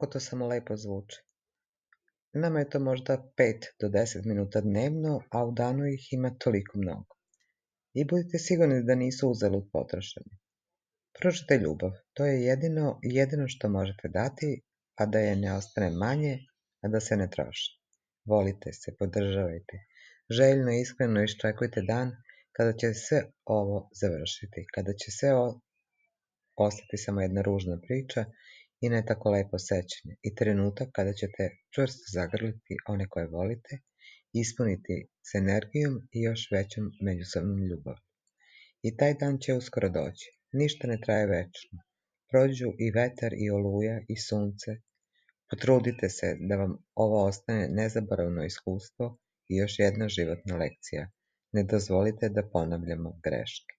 kako to samo lepo zvuči. Nama je to možda 5 do 10 minuta dnevno, a u danu ih ima toliko mnogo. I budite sigurni da nisu uzalud potrošeni. Pružite ljubav, to je jedino što možete dati, a da je ne ostane manje, a da se ne troši. Volite se, podržavajte. Željno i iskreno iščekujte dan kada će sve ovo završiti, kada će sve ostati samo jedna ružna priča i ne tako lepo sećanje i trenutak kada ćete čvrsto zagrliti one koje volite, ispuniti s energijom i još većom međusobnom ljubav. I taj dan će uskoro doći. Ništa ne traje večno. Prođu i vetar i oluja i sunce. Potrudite se da vam ovo ostane nezaboravno iskustvo i još jedna životna lekcija. Ne dozvolite da ponavljamo greške.